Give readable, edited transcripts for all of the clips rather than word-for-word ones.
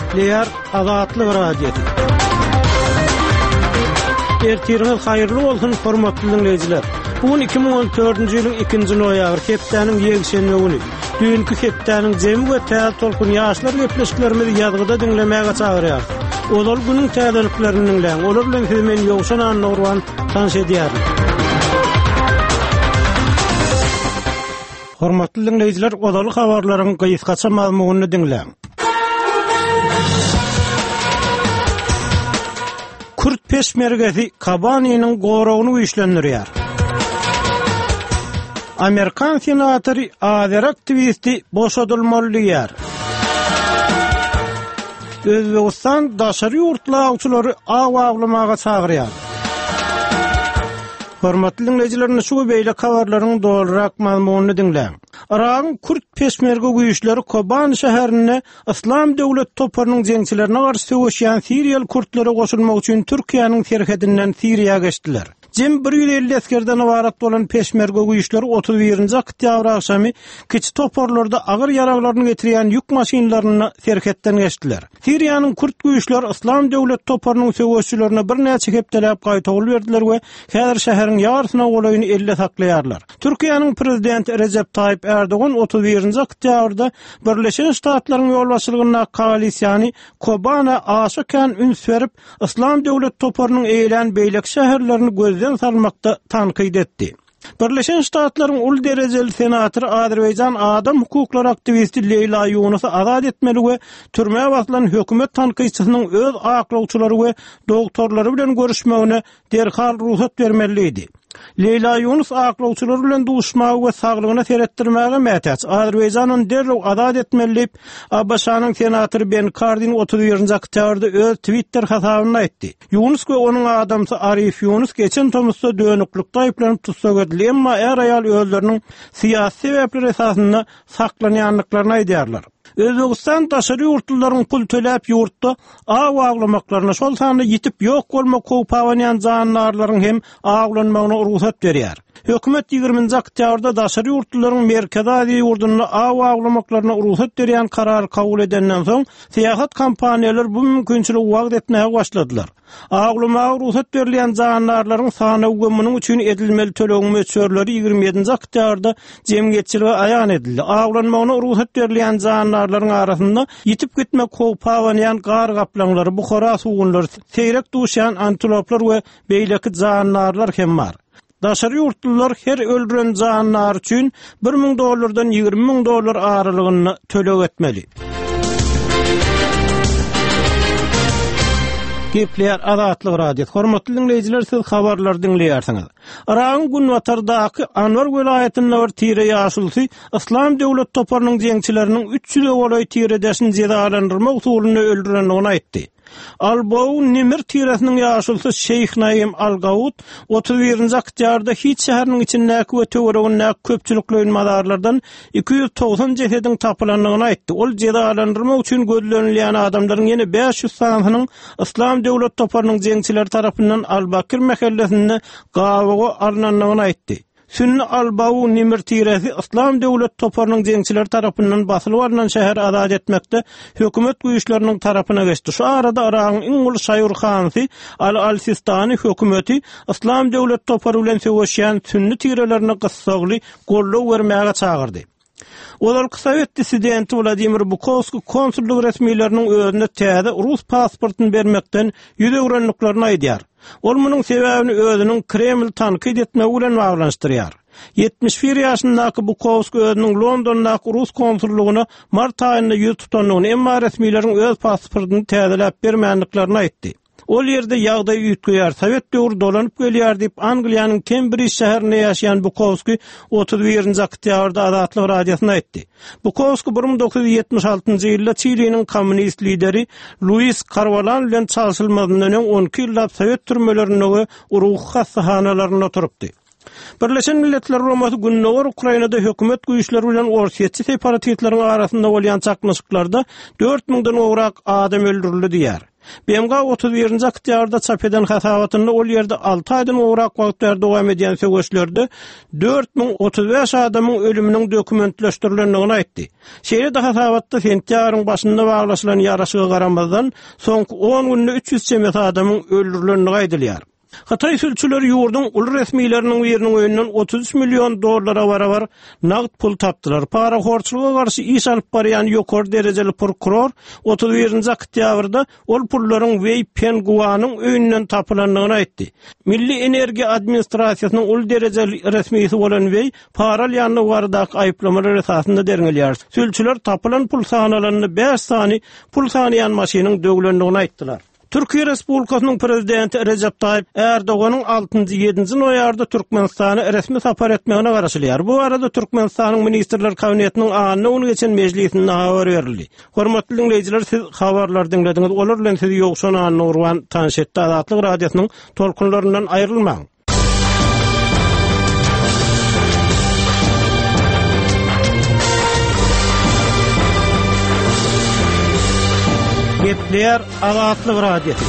Gepleýär Azatlyk Radiosy. Ertiriňiz haýyrly bolsun, hormatly diňleýjiler. Bu gün 2014-nji ýylyň 2-nji noýabry, hepdäniň ýekşenbe güni. Düýnki hepdäniň jemi we täze tolkun ýaşlar gepleşiklerimizi ýazgyda diňlemäge çagyrýarys. Ozal günüň täzeliklerini diňläň. Olar bilen sizi men Ýowşan Annagurban tanyş edýärin. Hormatly diňleýjiler, ozaly habarlaryň gysgaça mazmunyny diňläň. Kürt peşmergesi Kobaniniň goragyny güýçlendirýär. Amerikan senatory azeri aktiwisti boşadylmaly diýýär. Özbegistan daşary ýurtly awçylary aw awlamaga çagyrýar. Hormatly diňleýjiler, indi şu we beýleki habarlaryň dolurak mazmunyny diňläň. Yragyň kürt peşmerge güýçleri Kobani şäherinde Yslam döwlet toparynyň jeňçilerine garşy söweşýän siriýaly kürtlere goşulmak üçin Türkiýäniň serhedinden Siriýa geçdiler. Jem 150 esgerden ybarat bolan peşmerge güýçleri 31-nji oktýabr agşamy kiçi toparlarda agyr ýaraglaryny getirýän ýük maşynlarynda serhetden geçdiler. Siriýanyň kürt güýçleri Yslam döwlet toparynyň söweşçilerine birnäçe hepdeläp gaýtawul berdiler we häzir şäheriň ýarysyna golaýyny elde saklaýarlar. Türkiýäniň prezidenti Rejep Taýyp Ärdogan 31-nji oktýabrda Birleşen Ştatlaryň ýolbaşçylygyndaky koalisiýany Kobana aşa kän üns berip, Yslam döwlet toparynyň eýelän beýleki şäherlerini gözden salmakda tankyt etdi. Birleşen Ştatlaryň uly derejeli senatory Azerbaýjan adam hukuklary aktiwisti Leýla Ýunusy azat etmeli we türmä basylan hökümet tankytçysynyň öz aklawçylary we dogtorlary bilen görüşmegine derhal rugsat bermeli diýdi. Leýla Ýunus aklawçylary bilen duşmaga we saglygyna seretdirmäge mätäç. Azerbaýjan ony derrew azat etmeli diýip, ABŞ-nyň senatory Ben Kardin 31-nji oktýabrda öz Twitter hasabynda aýtdy. Ýunus we onuň adamsy Arif Ýunus geçen tomusda dönüklikde aýyplanyp tussag edildi, emma är-aýal özleriniň syýasy sebäpler esasynda saklanýandyklaryny aýdýarlar. Özbegistan daşary ýurtlularyň pul töläp ýurtda aw awlamaklaryna, şol sanda ýitip ýok bolmak howpy abanýan jandarlaryň hem awlanmagyna rugsat berýär. Hökümet ýigriminji oktýabrda daşary ýurtlularyň Merkezi Aziýa ýurdunda aw awlamaklaryna rugsat berýän karary kabul edenden soň, syýahat kompaniýalary bu mümkinçiligi wagyz etmäge başladylar. Awlamaga rugsat berilýän jandarlaryň sanawy we munuň üçin edilmeli tölegiň möçberleri 27-nji oktýabrda jemgyýetçilige aýan edildi. Awlanmagyna rugsat berilýän jandarlaryň arasynda ýitip gitmek howpy abanýan gar gaplaňlary, buhara sugunlary, seýrek duşýan antiloplar we beýleki jandarlar hem bar. Daşary ýurtlular her öldüren jandary üçin 1000 dollardan 20 müň dollar aralygynda töleg etmeli. Gepleýär Azatlyk Radiosy. Hormatly diňleýjiler, siz habarlary diňleýärsiňiz. Yragyň günbatardaky Anbar welaýatynda bir tire ýaşulusy Yslam döwlet toparynyň jeňçileriniň 300-e golaý tiredeşini jezalandyrmak usulynda öldürendigini aýtdy. Al-Bou Nimr tiresiniň ýaşulusy Şeýh Naim Al-Gaud 31-nji oktýabrda Hit şäheriniň içindäki we töweregindäki köpçülikleýin mazarlardan 290 jesediň tapylandygyny aýtdy. Ol jezalandyrmak üçin gözlenilýän adamlaryň ýene 500 sanysynyň Yslam döwlet toparynyň jeňçileri tarapyndan Al-Bakir mähellesinde gabawa alnandygyny aýtdy. Sünni Al-Bau Nimr tiresi Yslam döwlet toparynyň jeňçileri tarapyndan basylyp alnan şäheri azat etmekde hökümet güýçleriniň tarapyna geçdi. Şu arada Yragyň iň uly şaýy ruhanysy Aly al-Sistani hökümeti Yslam döwlet topary bilen söweşýän sünni tirelerine gyssagly goldaw bermäge çagyrdy. Ozalky sowet dissidenti Wladimir Bukowskiý konsullyk resmileriniň özüne täze rus pasportyny bermekden ýüz öwrendiklerini aýdýar. Ol munuň sebäbini özüniň Kreml tankyt etmegi bilen baglanyşdyrýar. 71 ýaşyndaky Bukowskiý özüniň Londondaky rus konsullygyna mart aýynda ýüz tutandygyny, emma resmileriň öz pasportyny täzeläp bermändiklerini aýtdy. Ol ýerde ýagdaý üýtgeýär, sowet döwri dolanyp gelýär diýip, Angliýanyň Kembrij şäherinde ýaşaýan Bukowski 31-nji oktýabrda Azatlyk Radiosyna aýtdy. Bukowski 1976-njy ýylda Çiliniň kommunist lideri Luis Karwalan bilen çalşylmazyndan öň 12 ýyllap sowet türmelerinde we ruhy hassahanalarynda oturypdy. Birleşen Milletler Guramasy Gündogar Ukrainada hökümet güýçleri bilen orsýetçi separatistleriň arasynda bolýan çaknyşyklarda 4 müňden gowrak adam öldürildi diýýär. BMG 31-nji oktýabrda çap eden hasabatynda ol ýerde alty aýdan gowrak wagt bäri dowam edýän söweşlerde 4035 adamyň ölüminiň dokumentleşdirilendigini aýtdy. Şeýle-de hasabatda sentýabryň başynda baglaşylan ýaraşyga garamazdan, soňky on günde 300 çemesi adamyň öldürilendigi aýdylýar. Hytaý sülçüleri ýurduň uly resmileriniň biriniň öýünden 33 million dollara barabar nagt pul tapdylar. Parahorçulyga garşy iş alyp barýan ýokary derejeli prokuror 31-nji oktýabrda ol pullaryň Weý Penguanyň öýünden tapylandygyny aýtdy. Milli energiýa administrasiýasynyň uly derejeli resmisi bolan Weý para alýandygy baradaky aýyplamalar esasynda derňelýär. Sülçüler tapylan pul sanalanda bäş sany pul sanaýan maşynyň döwlendigini aýtdylar. Türkiýe Respublikasynyň Prezidenti Rejep Taýyp Ärdoganyň altynjy, ýedinji noýabrda Türkmenistana resmi sapar etmegine garaşylýar. Bu barada Türkmenistanyň Ministrler Kabinetiniň anna güni geçen mejlisinde habar berildi. Hormatly diňleýjiler, siz habarlary diňlediňiz. Olar bilen sizi Ýowşan Annagurban tanyş etdi. Azatlyk Radiosynyň tolkunlaryndan aýrylmaň! Gepleýär Azatlyk Radiosy.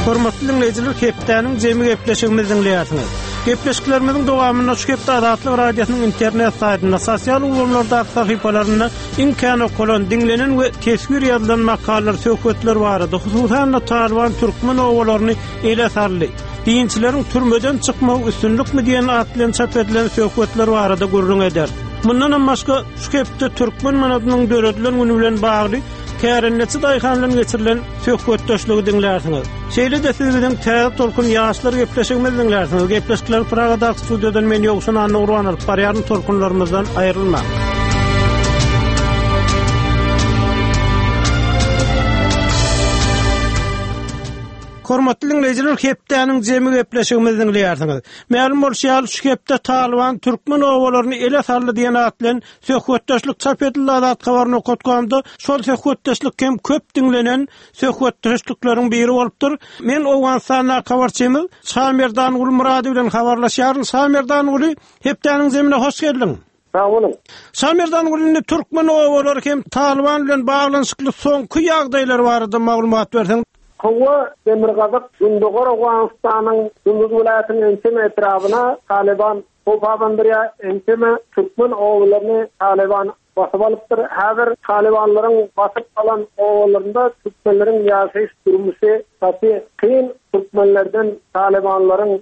Hormatly diňleýjiler, hepdäniň jemi gepleşigimizi diňleýärsiňiz. Gepleşiklerimiziň dowamynda şu hepde Azatlyk Radiosynyň internet saýtynda, sosial ulgamlardaky sahypalarynda iň kän okalan, diňlenen we teswir ýazylan makalalar, söhbetler barada, hususan-da Talyban türkmen obalaryny ele saldy. Dinçileriň türmeden çykmagy üstünlikmi diýen at bilen çap edilen söhbetler barada gürrüň ederis. Mundanam başga, şu hepde türkmen manadynyň döredilen güni bilen bagly kärendeçi daýhan bilen geçirilen söhbetdeşligi diňlärsiňiz. Şeýle-de siz biziň Täze tolkun ýaşlar gepleşigimizi diňlärsiňiz. Gepleşikleri Pragadaky studiýadan men Ýowşan Annagurban alyp barýaryn. Tolkunlarymyzdan aýrylmaň. Hormatly diňleýjiler, hepdäniň jemi gepleşigimizi diňleýärsiňiz. Mälim bolşy ýaly, şu hepde Talyban türkmen obalaryny ele saldy diýen at bilen söhbetdeşlik çap edildi Azat Habar nokat komda. Şol söhbetdeşlik hem köp diňlenen söhbetdeşlikleriň biri bolupdyr. Men Owganystandaky habarçymyz Şamerdanguly Myrady bilen habarlaşýaryn. Şamerdanguly, hepdäniň zemine hoş geldiň. Sag boluň. Şamerdanguly indi türkmen obalary hem Talyban bilen baglanyşykly soňky ýagdaýlar barada maglumat berseň. Hawa, demirgazyk, gündogar Owganystanyň Gunduz welaýatynyň ençeme etrabyna Talyban howp abandyrýar, ençeme türkmen obalaryny Talyban basyp alypdyr. Häzir Talybanlaryň basyp alan obalarynda türkmenleriň ýaşaýyş durmuşy gaty kyn. Türkmenlerden Talybanlaryň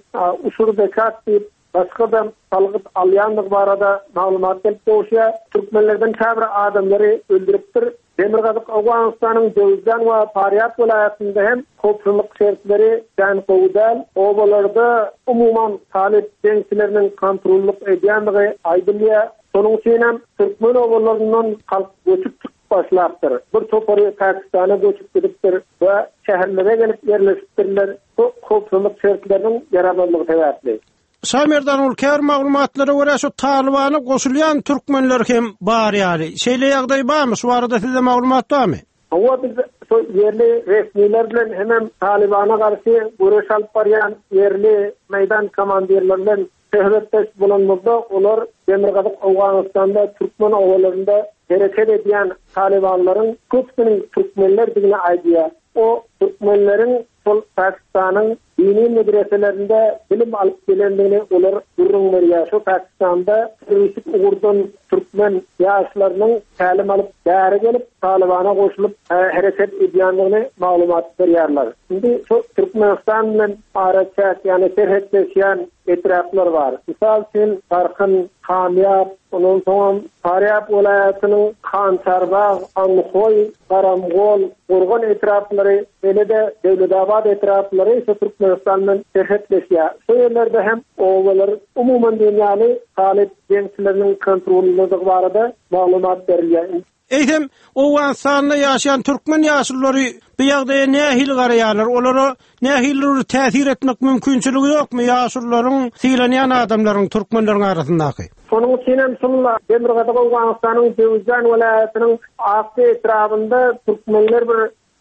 uşur-zekat diýip, başga-da salgyt alýandygy barada maglumat gelip gowuşýar. Türkmenlerden käbir adamlary öldüripdir. Demirgazyk Owganystanyň Jöwüzjan we Farýab welaýatynda hem howpsuzlyk şertleri kän gowy däl. Obalarda umuman talyp jeňçileriniň kontrollyk edýändigi aýdylýar. Şonuň üçin hem türkmen obalaryndan halk göçüp çykyp başlapdyr. Bir topary Pakistana göçüp gidipdir we şäherlere gelip ýerleşipdirler. Bu howpsuzlyk şertleriniň ýaramazlygy sebäpli. Şamerdan ol käbir maglumatlara görä şu Talybana goşulýan türkmenler hem bar ýaly. Şeýle ýagdaý barmy? Şu barada sizde maglumat barmy? Hawa biz şu ýerli resmiler bilen hemem Talybana garşy göreş alyp barýan ýerli meýdan komandirleri bilen söhbetdeş bolanymyzda olar demirgazyk Owganystanda türkmen obalarynda hereket edýän talybanlaryň köpüsiniň türkmenlerdigini aýdýar. O türkmenleriň şol Pakistanyň dini medreselerinde bilim alyp gelendigini olar gürrüň berýär. Şu Pakistanda terroristik ugurdan türkmen ýaşlarynyň tälim alyp bäri gelip, Talybana goşulyp hereket edýändigini maglumat berýärler. Indi şu Türkmenistan bilen araçäk, ýagny serhetleşýän etraplar bar. Mysal üçin, Garkyn, Kamýap, ondan soňam Farýap welaýatynyň Hançarbag, Andhoý, Garamgol, Gorgan etraplary, şeýle-de Döwletabat etraplary şu Türkmenistan bilen serhetleşýär. Şu ýerlerde hem obalar umuman diýen ýaly talyp jeňçileriniň kontrolyndadygy barada maglumat berilýär. Eýsem, Owganystanda ýaşaýan türkmen ýaşululary bu ýagdaýa nähili garaýarlar? Olara nähilidir bir täsir etmek mümkinçiligi ýokmy ýaşulularyň, sylanýan adamlaryň türkmenleriň arasyndaky? Şonuň üçin hem şul Demirgazyk Owganystanyň Jöwüzjan welaýatynyň Akja etrabynda türkmenler bir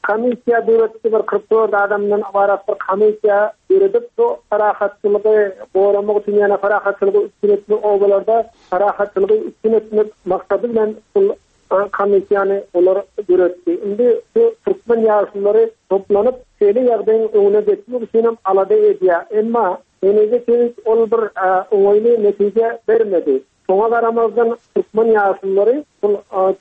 Komissiýa döretdi, bir 44 adamdan ybarat bir komissiýa döredip, bu parahatçylygy goramak üçin, ýagny parahatçylygy üpjün etmek, obalarda parahatçylygy üpjün etmek maksady bilen şul. komissiýany olar döretdi. Indi şu türkmen ýaşululary toplanyp, şeýle ýagdaýyň öňüne geçmek üçinem alada edýär. Emma henize çenli ol bir oňaýly netije bermedi. Şoňa garamazdan, türkmen ýaşululary şol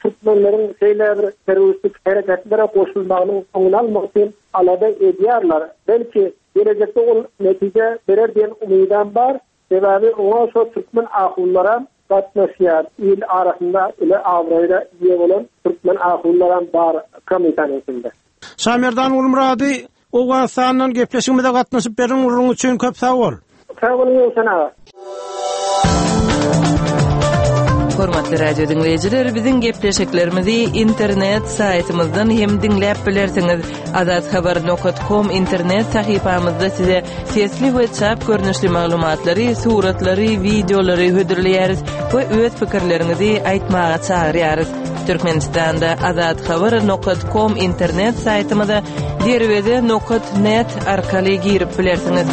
türkmenleriň şeýle bir terroristik hereketlere goşulmagynyň öňüni almak üçin alada edýärler. Belki, gelejekde ol netije berer diýen umydam bar. Sebäbi oňa şo türkmen ahunlaram gatnaşýar. Il arasynda uly abraýla eýe bolan türkmen ahunlaram bar komissiýanyň içinde. Şamerdan Gulmyrady Owganystandan gepleşigimize gatnaşyp beren gürrüň üçin köp sag bol. Sag boluň Ýowşan aga. Hormatly radio diňleýjiler, biziň gepleşiklerimizi internet saýtymyzdan hem diňläp bilersiňiz. Azathabar nokat kom internet sahypamyzda size sesli we çap görnüşli maglumatlary, suratlary, wideolary hödürleýäris we öz pikirleriňizi aýtmaga çagyrýarys. Türkmenistanda Azathabar nokat kom internet saýtymyza derweze nokat net arkaly girip bilersiňiz.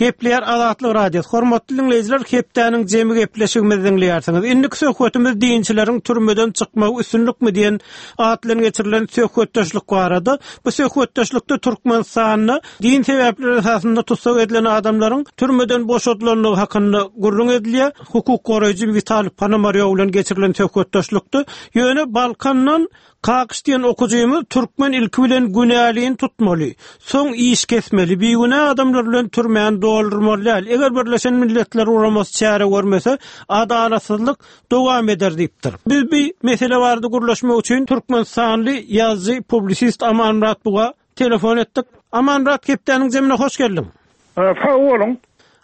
Gepleýär Azatlyk Radiosy. Hormatly diňleýjiler, hepdäniň jemi gepleşigimizi diňleýärsiňiz. Indiki söhbetimiz dinçileriň türmeden çykmagy üstünlikmi diýen at bilen geçirilen söhbetdeşlik barada. Bu söhbetdeşlikde Türkmenistanda din sebäpleri esasynda tussag edilen adamlaryň türmeden boşadylandygy hakynda gürrüň edilýär. Hukuk goraýjy Witaliý Ponomarýow bilen geçirilen söhbetdeşlikde. Ýöne Balkandan Kakyş diýen okujymyz türkmen ilki bilen günälini tutmaly, soň iş kesmeli, bigünä adamlar bilen türmäni doldurmaly däl, eger Birleşen Milletler Guramasy çäre görmese, adalatsyzlyk dowam eder diýipdir. Biz bi mesele barada gürleşmek üçin türkmenistanly ýazyjy, publisist Amanmyrat Buga telefon etdik. Amanmyrat hepdäniň jemine hoş geldiň. Sag boluň.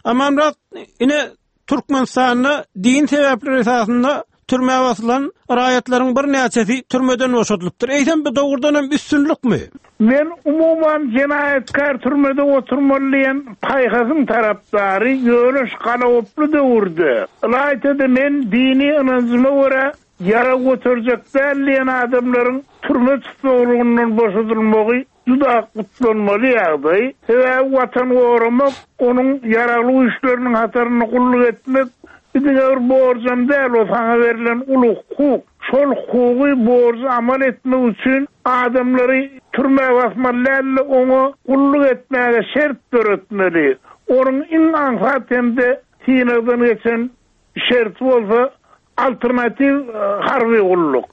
Amanmyrat, ine Türkmenistanda din sebäpleri esasynda türmä basylan raýatlaryň birnäçesi türmeden boşadylypdyr. Eýsem bu dogrudan hem üstünlikmi? Men umuman jenaýatkär türmede oturmaly diýen paýhasyň tarapdary, ýöne şu galagoply döwürde, ylaýta-da men dini ynanjyma görä ýarag göterjek däl diýen adamlaryň türme tussaglygyndan boşadylmagy Juda gutlanmaly ýagdaý. Sebäbi Watany goramak, onuň Ýaragly Güýçleriniň hatarynda gulluk etmek bu diňe bir borjam däl, o saňa berlen uly hukuk. Şol hukugy, borjy amal etmek üçin adamlary türmä basmaly däl-de, oňa gulluk etmäge şert döretmeli. Onuň iň aňsat hem-de synagdan geçen Şerti bolsa alternatiw harby gulluk.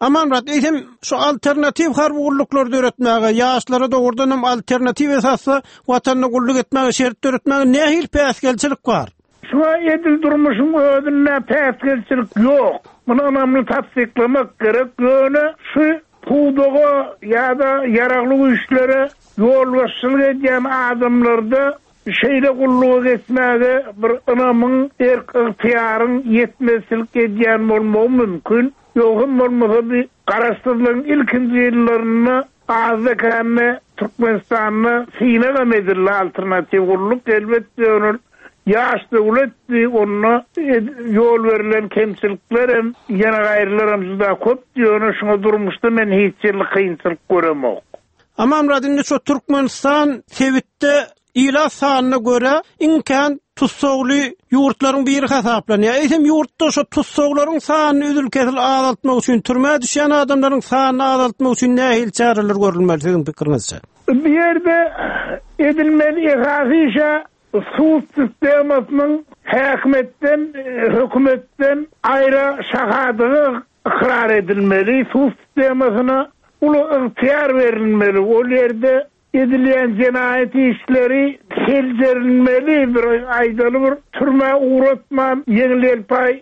Amanmyrat, eýsem şu alternatiw harby gulluklary döretmäge, ýaşlara dogrudan hem alternatiw esasda Watanyna gulluk etmäge şert döretmäge nähili päsgelçilik bar? Şuňa edil durmuşyň özünde päsgelçilik ýok. Muny ynamly tassyklamak gerek. Ýöne şu pudaga ýa-da ýaragly güýçlere ýolbaşçylyk edýän adamlarda Şeýle gulluga geçmäge bir ynamyň, erk-ygtyýaryň ýetmezçilik edýän bolmagy mümkin. Ýogsam bolmasa bi Garaşsyzlygyň ilkinji ýyllarynda azda-kände Türkmenistanda synagam edildi alternatiw gulluk. Elbetde ýöne ýaş döwletdi, onda ýol berlen kemçiliklerem, ýene gaýrylaram juda köpdi, ýöne şuňa durmuşda men hiç ýylly kynçylyk göremok. Amanmyrat indi şu Türkmenistan sebitde ilat sanyna görä iň kän tussagly ýurtlaryň biri hasaplanýar. Eýsem ýurtda şu tussaglaryň sanyny üzül-kesil azaltmak üçin, türmä düşýän adamlaryň sanyny azaltmak üçin nähili çäreler görülmeli siziň pikiriňizçe? Bu ýerde edilmeli esasy iş-ä sud sistemasynyň häkimiýetden, hökümetden aýra şahadygy ykrar edilmeli, sud sistemasyna uly ygtyýar berilmeli, ol ýerde edilýän jenaýat işleri seljerilmeli, bir aýdaly bir türmä ugratman ýeňil-ýelpaý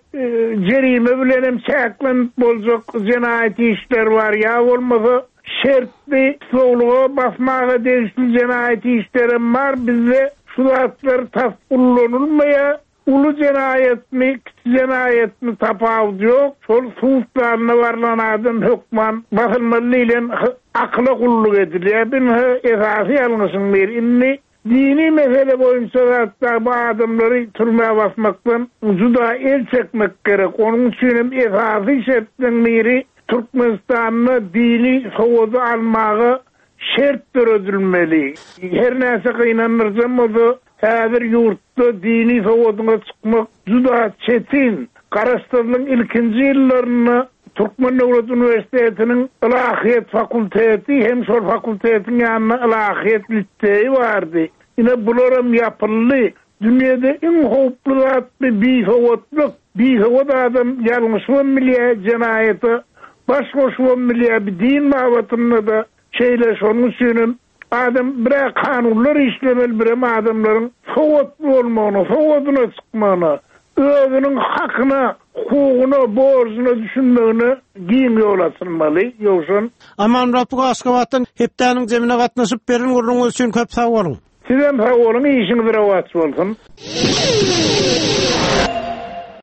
jerime bilen hem çäklenip boljak jenaýat işleri bar, ýa bolmasa şertli tussaglyga basmaga degişli jenaýat işlerem bar, bizde şu zatlar tas ullanylmaýar. Uly jenaýatmy, kiçi jenaýatmy tapawudy ýok, şol sud zalyna barlan adam hökman basylmaly diýlen akyla gulluk edilýär. Bu ynha esasy ýalňyşyň biri. Indi dini mesele boýunça zatda bu adamlary türmä basmakdan juda el çekmek gerek. Onuň üçin hem esasy şertleň biri Türkmenistanda dini sowady almaga şert döredilmeli. Her näçe gynandyryjam bolsa. Häzir ýurtda dini sowadyňa çykmak juda çetin. Garaşsyzlygyň ilkinji ýyllarynda Türkmen döwlet uniwersitetiniň ylahyýet fakulteti hem şol fakultetiň ýanynda ylahyýet liseýi bardy. Ine bularam ýapyldy. Dünýede iň howply zat bi bisowatlyk. Bisowat adam ýalňyşybam bilýär, jenaýata baş goşubam bilýär, bi din babatynda-da şeýle. Şonuň üçinem Adam bir-ä kanunlar işlemeli birem adamlaryň sowatly bolmagyna, sowadyna çykmagyna, özüniň hakyna, hukugyna, borjuna düşünmegine giň ýol açylmaly. Ýowşan. Amanmyrat buga Aşgabatdan hepdäniň jemine gatnaşyp beren gürrüňiňiz üçin köp sag boluň. Sizem sag boluň işiňiz rowaç bolsun.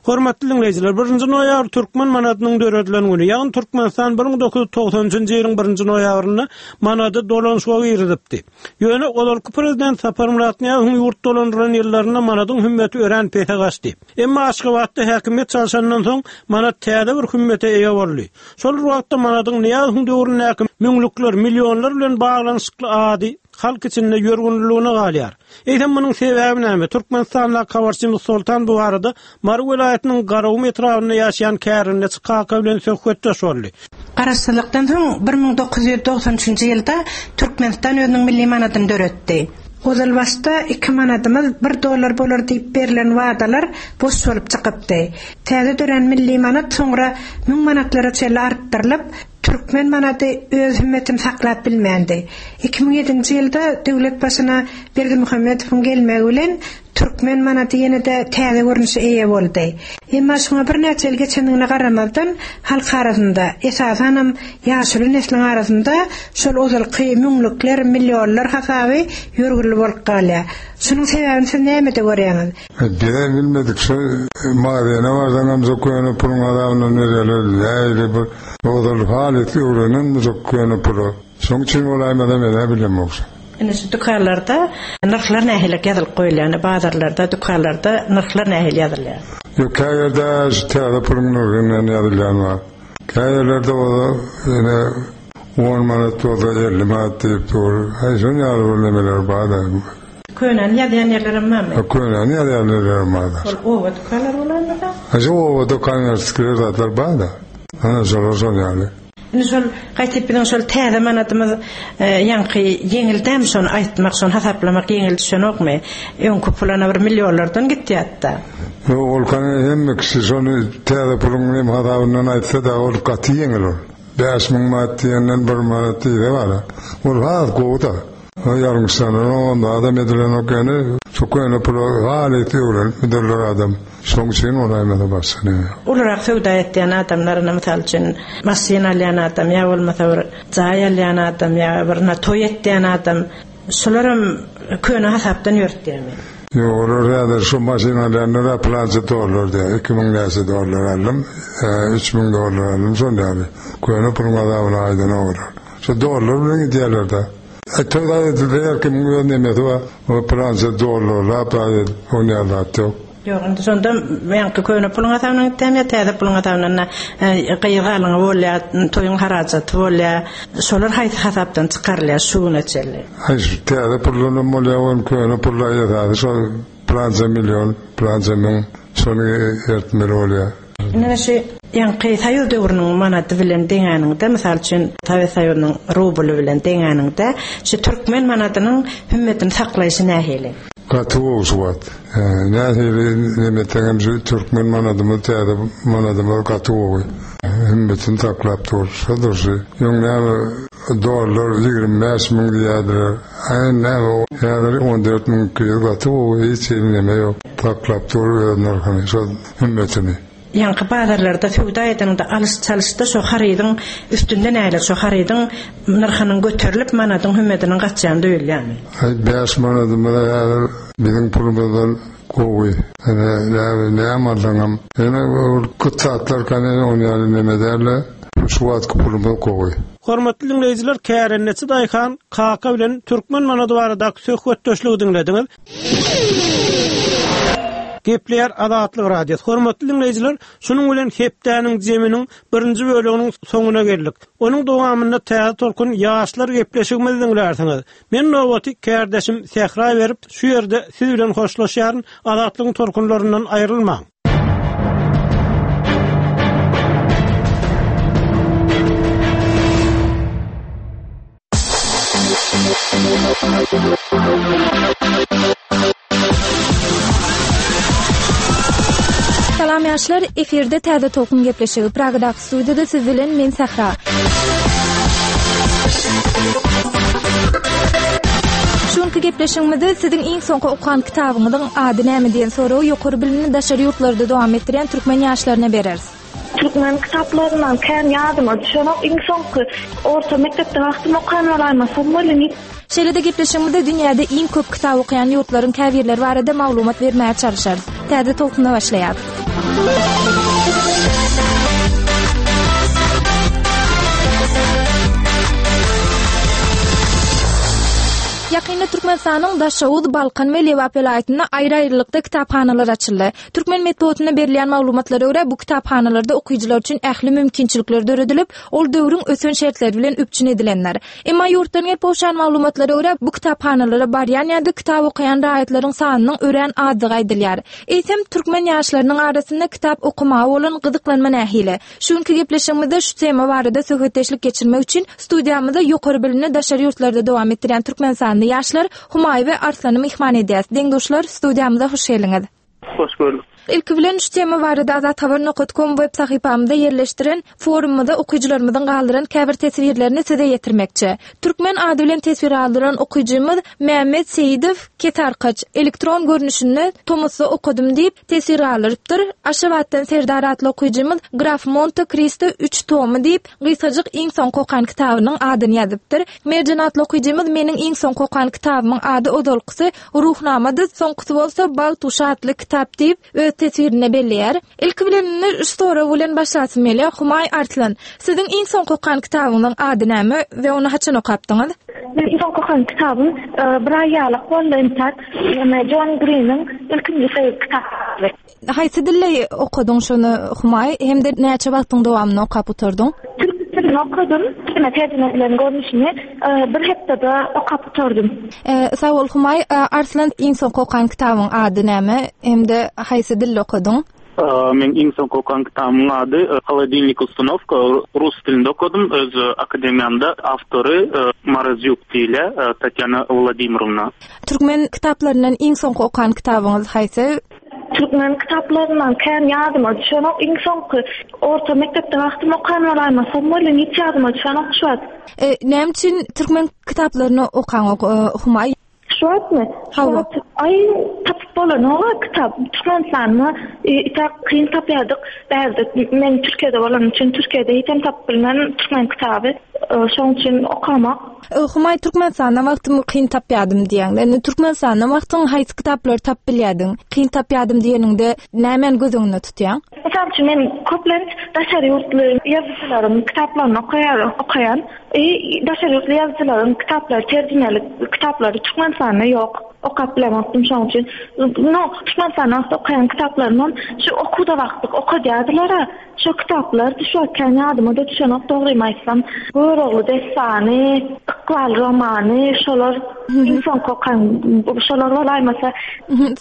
Hormatly diňleýjiler, birinji noýabr türkmen manadynyň döredilen güni, ýagny Türkmenistan 1993 nji ýylyň birinji noýabrynda manady dolanyşyga girizipdi. Ýöne ozalky prezident Saparmyrat Nyýazowyň ýurt dolandyran ýyllarynda manadyň hümmeti örän pese gaçdy. Emma Aşgabatda häkimiýet çalşandan soň manat täze bir hümmete eýe boldy. Şol bir wagtda manadyň Nyýazowyň döwründäki müňlükler, millionlar bilen baglanyşykly ady halk içinde ýörgünliligine galýar. Eýsem munuň sebäbi näme? Türkmenistandaky habarçymyz Soltan bu barada Mary welaýatynyň Garagum etrabynda ýaşaýan kärendeçi kaka bilen söhbetdeş boldy. Garaşsyzlykdan soň 1993 üçünji ýylda Türkmenistan özüniň milli manadyny döretdi. Ozalbaşda iki manadymyz bir dollar bolar diýip berlen wadalar boş bolup çykypdy. Täze dörän milli manat soňra müň manatlara çenli artdyrylyp, Türkmen manady öz hümmetini saklap bilmändi. 2007-nji ýylda döwlet başyna Berdimuhamedowyň gelmegi bilen türkmen manady ýene-de täze görnüşe eýe boldy. Emma şuňa birnäçe ýyl geçendigine garamazdan, halk arasynda, esasanam ýaşuly nesliň arasynda şol ozalky müňlükler, millionlar hasaby ýörgünli bolup galýar. Şunuň sebäbini siz nämede görýäňiz? Bizem bilmedik şo magazine barsaňam şo köne puluň azabyndan berýärler nähili bir ozal halys öwrenenmi şo köne pula şoň üçin bolaýmasa menä bilemok şo. Indi şu dükanlarda nyrhlar nähiliräk ýazylyp goýulýar indi bazarlarda dükanlarda nyrhlar nähili ýazylýar. Ýok kä ýerde şu täze puluň nyrhy bilen ýazylýan bar. Kä ýerlerde bolsa ýene on manat bolsa 50 manat diýip dur. Aý şon ýaly bir nemeler bar-da. Könäni ýazýan ýerlerem barmy? Könäni ýazýan ýerlerem bar-da. Ol oba dükanlary bolanmyka? Ha şu oba dükanlar zatlar bar-da. Ana şolar şol ýaly. Indi şol gaýtyp biziň şol täze manadymyz ýaňky ýeňil dämi şony aýtmak, şony hasaplamak ýeňil düşenokmy? Öňki pul ana bir millionlardan gitýärdi-da. Ýok, ol kany hemme kişi şony täze puluň nem hasabyndan aýtsa-da ol gaty ýeňil ol. 5000 manat diýenden bir manat diýse bar-a. Ol has gowy-da. Ýalňyşlananok onda adam edilenok ýöne şu köne pula halys öwrenipmidirler adam şoň üçin bolaýmasa başga neme ýok. Ulurak söwda etýän adamlar ine mysal üçin maşyn alýan adam ýa bolmasa bir jaý alýan adam ýa bir ine toý etýän adam şularam köne hasapdan ýörtýärmi? Ýok olar häzir şu maşyn alýanlar-a pylança dollar diýýär 2000 näçe dollar aldym 3000 dollar aldym şol ýaly köne puluň azabyny aýdanok olar şu dollar bilen gidýärler-de. Toý zat edilse her kimiň öz nemesi bar. O pylança dollarlap zat edip onýan zat ýok. Ýok indi şonda ýaňky köne puluň hasabyndan gitýärmi ýa täze puluň hasabyndan gyz galyňy bolýar, toýuň harajaty bolýar. Şolar haýsy hasapdan çykarylýar şu güne çenli? Aý şu täze puldanam bolýar ony köne pullar esasy şol pylança million, pylança müň şony ertmeli bolýar. Indi şu ýaňky soýuz döwrüniň manady bilen deňäniňde, mysal üçin, Sowet Soýuzynyň rubly bilen deňäniňde, şu türkmen manadynyň hümmetini saklaýşy nähili? Gaty gowy şu wagt. Nähili neme etseňem şu türkmen manadymyz täze manadymyz gaty gowy. Hümmetini saklap dur. Şo durşy. Öň näme dollar 25 müň diýýärdiler. A indi näme häzir 14 müň 200 gaty gowy hiç hili neme ýok. Saklap dur öz nyrhyny. Şo hümmetini. Ýaňky bazarlarda söwda edeniňde alyş-çalyşda şo harydyň üstünde näler şo harydyň nyrhynyň göterilip manadyň hümmediniň gaçýany duýulýarmy? Aý bäş manadymyz häzir biziň pulumyzdan gowy. Ine näme näme alsaňam. Ýöne ol köp zatlar kany on ýaly neme dälde şu wagtky pulumyz gowy. Hormatly diňleýjiler kärendeçi daýhan Kaka bilen türkmen manady baradaky söhbetdeşligi diňlediňiz. Gepleýär Azatlyk Radiosy. Hormatly diňleýjiler, şunuň bilen hepdäniň jeminiň birinji böleginiň soňuna geldik. Onuň dowamynda Täze tolkun ýaşlar gepleşigimizi diňlärsiňiz. Men nobaty kärdeşim Sähra berip, şu ýerde siz bilen hoşlaşýaryn. Azatlygyň tolkunlaryndan aýrylmaň. Salam ýaşlar, efirde Täze Tolkun gepleşigi. Pragadaky studiýada siz bilen men Sähra. Şu günki gepleşigimizde siziň iň soňky okan kitabyňyzyň ady näme diýen soragy ýokary bilimini daşary ýurtlarda dowam etdirýän türkmen ýaşlaryna bereris. Türkmen kitaplaryndan kän ýadyma düşenok. Iň soňky orta mekdepde wagtym okan bolaýmasam welin hiç. Şeýle-de gepleşigimizde dünýäde iň köp kitap okaýan ýurtlaryň käbirleri barada maglumat bermäge çalyşarys. Täze tolkunda başlaýarys. Ýakynda Türkmenistanyň Daşoguz, Balkan we Lebap welaýatynda aýry-aýrylykda kitaphanalar açyldy. Türkmen metbugatynda berilýän maglumatlara görä, bu kitaphanalarda okyjylar üçin ähli mümkinçilikler döredilip, ol döwrüň ösen şertleri bilen üpjün edilendir. Emma ýurtdan gelip gowşan maglumatlara görä, bu kitaphanalara barýan ýa-da kitap okaýan raýatlaryň sanynyň örän azdygy aýdylýar. Eýsem, türkmen ýaşlarynyň arasynda kitap okamaga bolan gyzyklanma nähili? Şu günki gepleşigimizde şu tema barada söhbetdeşlik geçirmek üçin studiýamyzda ýokary bilimini daşary ýurtlarda dowam etdirýän türkmenistanly ýaşlar Humaý we Arslany myhman edýäs. Deň-duşlar, studiýamyza hoş geldiňiz. Hoş gördük. Ilki bilen şu tema barada Azathabar nokat kom web sahypamyzda ýerleşdiren forumymyzda okyjylarymyzyň galdyran käbir teswirlerini size ýetirmekçi. Türkmen ady bilen teswir galdyran okyjymyz Mämmet Seýidow Kesearkaç, elektron görnüşinde tomusda okadym diýip, teswir galdyrypdyr. Aşgabatdan Serdar atly okyjymyz Graf Monte Kristo üç tomy diýip, gysgajyk iň soňky okan kitabynyň adyny ýazypdyr. Merjen atly okyjymyz Meniň iň soňky okan kitabymyň ady ozalkysy Ruhnamady, soňkusy bolsa Bagt guşy atly kitap diýip, öz teswirinde belleýär. Ilki bilen indi şu sorag bilen başlasym gelýär, Humaý Arslan, siziň iň soňky okan kitabyňyzyň ady näme we ony haçan okapdyňyz? Meniň iň soňky okan kitabym bir aý ýalak boldy entäk. Ýöne Jon Griniň ilkinji söýgi kitaby. Haýsy dilde okadyň şony Humaý hem-de näçe wagtyň dowamynda okap gutardyň? Türk dilinde okadym, ýöne terjime edilen görnüşini bir hepdede okap gutardym. Sag bol Humaý. Arslan iň soňky okan kitabyň ady näme hem-de haýsy dilde okadyň? Meň iň soňky okan kitabymyň ady Holodilnik ustanowka rus dilinde okadym öz akademiýamda awtory Marazýuk diýilýär Tatýana Wladimirowna. Türkmen kitaplaryndan iň soňky okan kitabyňyz haýsy? Türkmen kitaplaryndan kän ýadyma düşenok iň soňky orta mekdepde wagtym okan bolaýmasam welin hiç ýadyma düşenok şu wagt. Näme üçin türkmen kitaplaryny okaňok Humaý? Şu wagtmy? Hawa. Aý, tapyp bolanok-a kitap. Türkmenistanda itak kyn tapýardyk. Bärde men Türkiýede bolanym üçin Türkiýede hiçem tapyp bilmen türkmen kitaby. Şoň üçin okamak. Humaý Türkmenistanda wagtym kyn tapýardym diýýäň. Indi Türkmenistanda wagtyň haýsy kitaplary tapyp bilýärdiň? Kyn tapýardym diýeniňde nämäni göz öňünde tutýaň? Mysal üçin men köplenç daşary ýurtly ýazyjylaryň kitaplaryny okaýaryn, okaýan. I daşary ýurtly ýazyjylaryň kitaplary terjimeli kitaplary Türkmenistanda ýok. Okap bilemokdym şoň üçin. No, Türkmenistanda wagty okaýan kitaplarymam şu okuwda wagtlyk okadýardylar-a. Şo kitaplar şu wagt kän ýadyma-da düşenok dogrymy aýtsam. Görogly dessany, Ykbal romany şolar iň soňky okan şolar bolaýmasa.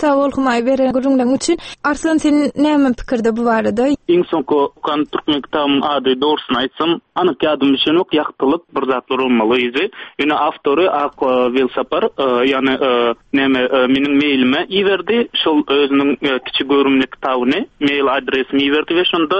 Sag bol Humaý beren gürrüňleriň üçin. Arslan sen näme pikirde bu barada? Iň soňky okan türkmen kitabymyň ady dogrusyny aýtsam anyk ýadyma düşenok ýagtylyk bir zatlar bolmaly yzy. Ýöne awtory Ak Welsapar ýagny näme meniň mailime iberdi şol özüniň kiçi göwrümli kitabyny mail adresime iberdi we şonda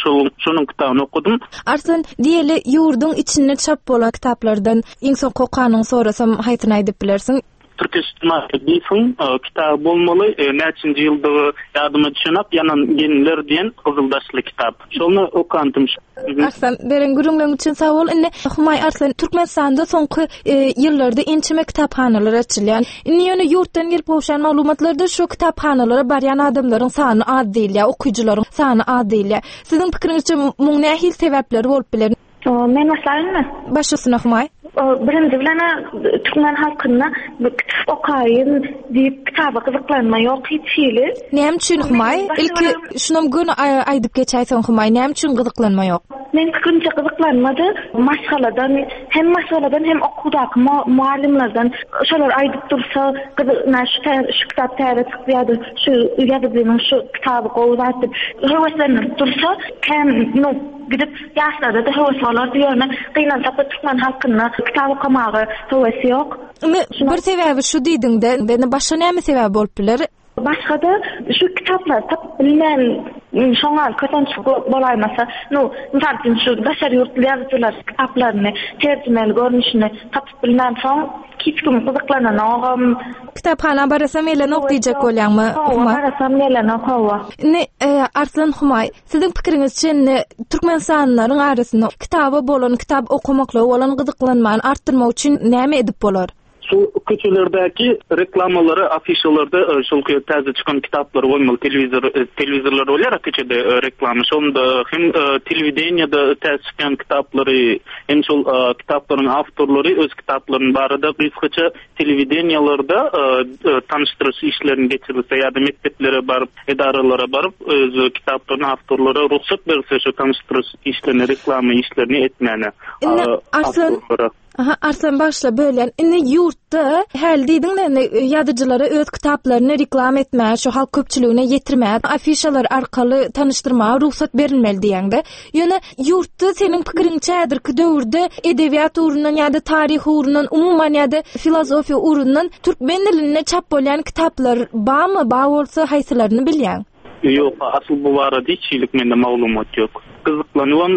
şol şonuň kitabyny okadym. Arslan diýeli ýurduň içinde çap bolan kitaplardan iň soňky okanyňy sorasam haýsyny aýdyp bilersiň? Tirkeş Markadyýewiň kitaby bolmaly, näçinji ýyldygy ýadyma düşenok, Ýanan gelinler diýen gyzyl daşly kitap. Şony okandym. Arslan, beren gürrüňleriň üçin sag bol. Indi Humaý Arslan, Türkmenistanda soňky ýyllarda ençeme kitaphanalar açylýar. Indi ýöne ýurtdan gelip gowşan maglumatlarda şu kitaphanalara barýan adamlaryň sany az diýilýär, okyjylaryň sany az diýilýär. Siziň pikiriňizçe muň nähili sebäpleri bolup biler? Men başlaýynmy? Baş üstüne Humaý. Birinji bilen türkmen halkynda kitap okaýyn diýip kitaba gyzyklanma ýok hiç hili. Näme üçin Humaý? Ilki şunam göni aýdyp geçäýseň Humaý, näme üçin gyzyklanma ýok? Meň pikirimçe gyzyklanma-da maşgaladan, hem maşgaladan hem okuwdaky mugallymlardan şolar aýdyp dursa, gyzyk şu şu kitap täze çykdy ýa-da şu ýazyjynyň şu kitaby gowy zat diýip höweslendirip dursa, kän nu gidip ýaşlarda-da höwes bolardy, ýöne gynansak-da türkmen halkynda kitap okamaga höwes ýok. Indi bir sebäbi şu diýdiňde, indi başga näme sebäbi bolup biler? Başga-da şu kitaplary tapyp bilmän şoňa kösençlik bolaýmasa, nu, mysal üçin şu daşary ýurtly ýazyjylar kitaplaryny terjimeli görnüşini tapyp bilmänsoň hiç kim gyzyklananogam. Kitaphana barasam gelenok diýjek bolýaňmy, Humaý? Hawa, barasam gelenok, hawa. Indi, Arslan Humaý, siziň pikiriňizçe indi türkmenistanlylaryň arasynda kitaba bolan, kitap okamaklyga bolan gyzyklanmany artdyrmak üçin näme edip bolar? Şu köçelerdäki reklamalary, afişalarda şol täze çykan kitaplary goýmaly, telewizor, telewizorlar bolýar köçede reklama, şonda hem telewideniýede täze çykýan kitaplary, hem şol kitaplaryň awtorlary öz kitaplaryny barada gysgaça telewideniýalarda tanyşdyryş işlerini geçirilse ýa-da mekdeplere baryp, edaralara baryp öz kitaplaryny awtorlara rugsat berilse şu tanyşdyryş işlerini, reklama işlerini etmäne. Indi Arslan, Aha, Arslan bagyşla bölýän. Indi ýurtda häli diýdiň-de indi ýazyjylara öz kitaplaryny reklama etmäge, şu halk köpçüligine ýetirmäge, afişalar arkaly tanyşdyrmaga rugsat berilmeli diýýäň-de. Ýöne ýurtda seniň pikiriňçe häzirki döwürde edebiýat ugrundan ýa-da taryh ugrundan, umuman ýa-da filosofiýa ugrundan türkmen dilinde çap bolýan kitaplar barmy, bar bolsa haýsylaryny bilýäň? Ýok, asyl bu barada hiç hili mende maglumat ýok. Gyzyklanybam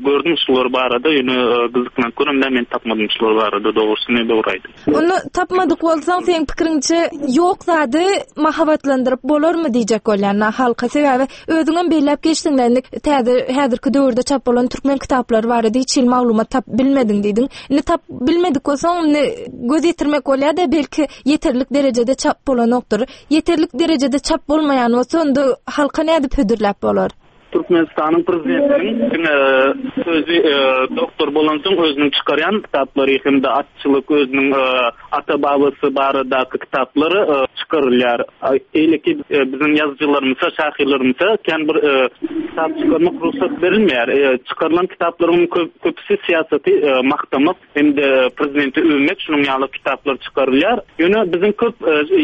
gördüm şular barada, ýöne gyzyklanyp göremde men tapmadym şular barada dogrusyny dogry aýdyň. Onda tapmadyk bolsaň seň pikiriňçe ýok zady mahabatlandyryp bolarmy diýjek bolýan na halka sebäbi özüňem belläp geçdiň indi täze häzirki döwürde çap bolan türkmen kitaplary barada hiç hili maglumat tapyp bilmediň diýdiň. Indi tapyp bilmedik bolsaň indi göz ýetirmek bolýa-da belki ýeterlik derejede çap bolanokdyr. Ýeterlik derejede çap bolmaýan bolsa, onda halka nädip hödürläp bolar? Türkmenistanyň prezidentiniň diňe özi doktor bolansoň özüniň çykarýan kitaplary hem-de atçylyk özüniň ata-babasy baradaky kitaplary çykarylýar. Beýleki biziň ýazyjylarymyza, şahyrlarymyza kän bir kitap çykarmak rugsat berilmeýär. Çykarylan kitaplaryň köpüsi syýasaty magtamak hem-de prezidenti öwmek şunuň ýaly kitaplar çykarylýar. Ýöne biziň köp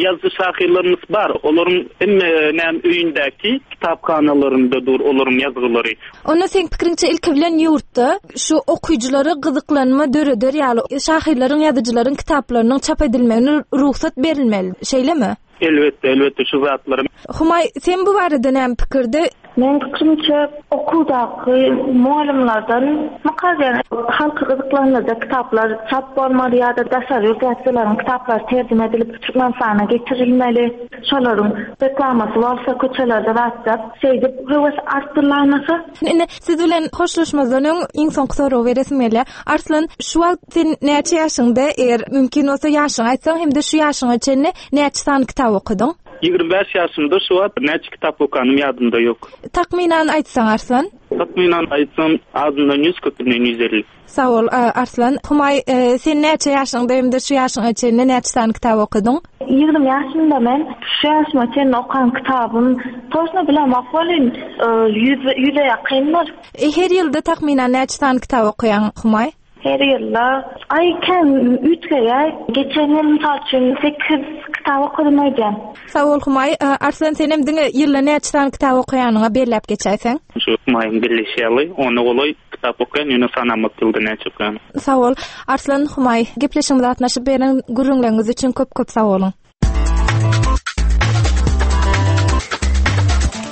ýazyjy-şahyrlarymyz bar. Olaryň hemme näme öýündäki kitaphanalarynda dur olaryň ýazgylary. Onda seň pikiriňçe ilki bilen ýurtda şu okyjylara gyzyklanma döreder ýaly şahyrlaryň ýazyjylaryň kitaplarynyň çap edilmegine rugsat berilmeli, şeýlemi? Elbetde, elbetde şu zatlary. Humaý, sen bu barada näme pikirde? Meň pikirimçe, okuwdaky mugallymlardan mukaddes halky gyzyklandyrjak kitaplar çap bolmaly ýa-da daşary ýurt ýazyjylaryň kitaplary terjime edilip Türkmenistana getirilmeli. Şolaryň reklamasy bolsa köçelerde zatjak. Şeýdip höwes artdyrylaýmasa. Indi siz bilen hoşlaşmazdan öň iň soňky soragy beresim gelýär. Arslan, şu wagt sen näçe ýaşyňda, eger mümkin bolsa ýaşyňy aýtsaň hem-de şu ýaşyňa çenli näçe sany kitap okadyň? 25 ýaşymda şu wagt näçe kitap okanym ýadymda ýok. Takmynan aýtsaň Arslan? Takmynan aýtsam azyndan 100 köpünden 150. Sag bol Arslan. Humaý sen näçe ýaşyňda hem-de şu ýaşyňa çenli näçe sany kitap okadyň? 20 ýaşymda men şu ýaşyma çenli okan kitabym toçno bilemok welin ýüze ýakyndyr. Her ýylda takmynan näçe sany kitap okaýaň Humaý? Her ýylda, aý kän üýtgeýär. Geçen ýyl mysal üçin sekiz kitap okadym öýdýän. Sag bol Humaý. Arslan senem diňe ýylda näçe sany kitap okaýanyňa belläp geçäýseň. Şu Humaýyň belleýşi ýaly, ona golaý kitap okaýan, ýöne sanamok ýylda näçe okaýanymy. Sag bol. Arslan, Humaý, gepleşigimize gatnaşyp beren gürrüňleriňiz üçin köp köp sag boluň.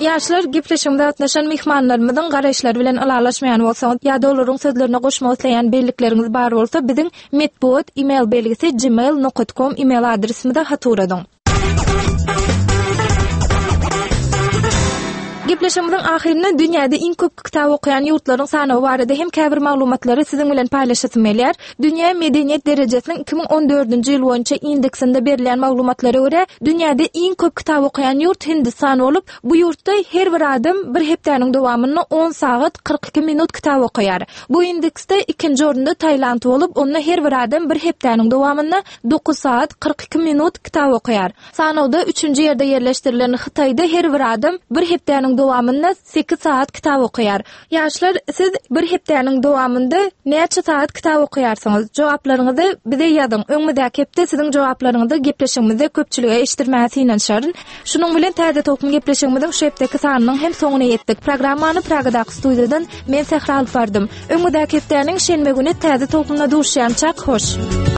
Ýaşlar gepleşigimize gatnaşan myhmanlarymyzyň garaýyşlary bilen ylalaşmaýan bolsaňyz ýa-da olaryň sözlerine goşmak isleýän bellikleriňiz bar bolsa biziň metbugat email belgisi gmail nokat kom email adresimize hat ugradyň. Gepleşigimiziň ahyrynda dünýäde iň köp kitap okaýan ýurtlaryň sanawy barada hem käbir maglumatlary siziň bilen paýlaşasym gelýär. Dünýä medeniýet derejesiniň 2014-nji ýyl boýunça indeksinde berilýän maglumatlara görä, dünýäde iň köp kitap okaýan ýurt Hindistan bolup, bu ýurtda her bir adam bir hepdäniň dowamynda on sagat 42 minut kitap okaýar. Bu indeksde ikinji orunda Tailand bolup, onda her bir adam bir hepdäniň dowamynda dokuz sagat 42 minut kitap okaýar. Sanawda üçünji ýerde ýerleşdirilen Hytaýda her bir adam bir hepdäniň dowamynda sekiz sagat kitap okaýar. Ýaşlar, siz bir hepdäniň dowamynda näçe sagat kitap okaýarsyňyz? Jogaplaryňyzy bize ýazyň. Öňümizdäki hepde siziň jogaplaryňyzy gepleşigimizde köpçülige eşitdirmäge synanyşaryn. Şunuň bilen Täze tolkun gepleşigimiziň şu hepdeki sanynyň hem soňuna ýetdik. Programmany Pragadaky studiýadan men Sähra alyp bardym. Öňümizdäki hepdäniň şenbe güni Täze tolkunda duşýançak, hoş!